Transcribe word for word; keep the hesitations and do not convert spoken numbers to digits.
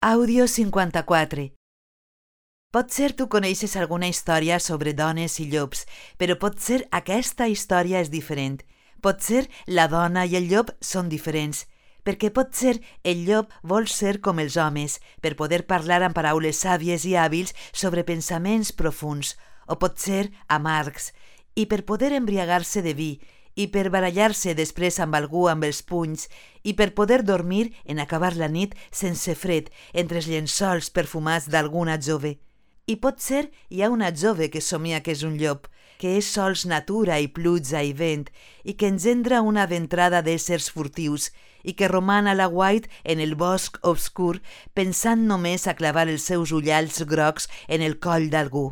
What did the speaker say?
Àudio cinquanta-quatre. Potser tu coneixes alguna història sobre dones i llops, però potser aquesta història és diferent. Potser la dona i el llop són diferents, perquè potser el llop vol ser com els homes, per poder parlar amb paraules sàvies i hàbils sobre pensaments profuns, o potser amargs, i per poder embriagar-se de vi, i per barallar-se després amb algú amb els punys, i per poder dormir en acabar la nit sense fred entre els llençols perfumats d'alguna jove. I potser hi ha una jove que somia que és un llop, que és sols natura i pluja i vent, i que engendra una ventrada d'éssers furtius, i que roman a l'aguait en el bosc obscur pensant només a clavar els seus ullals grocs en el coll d'algú.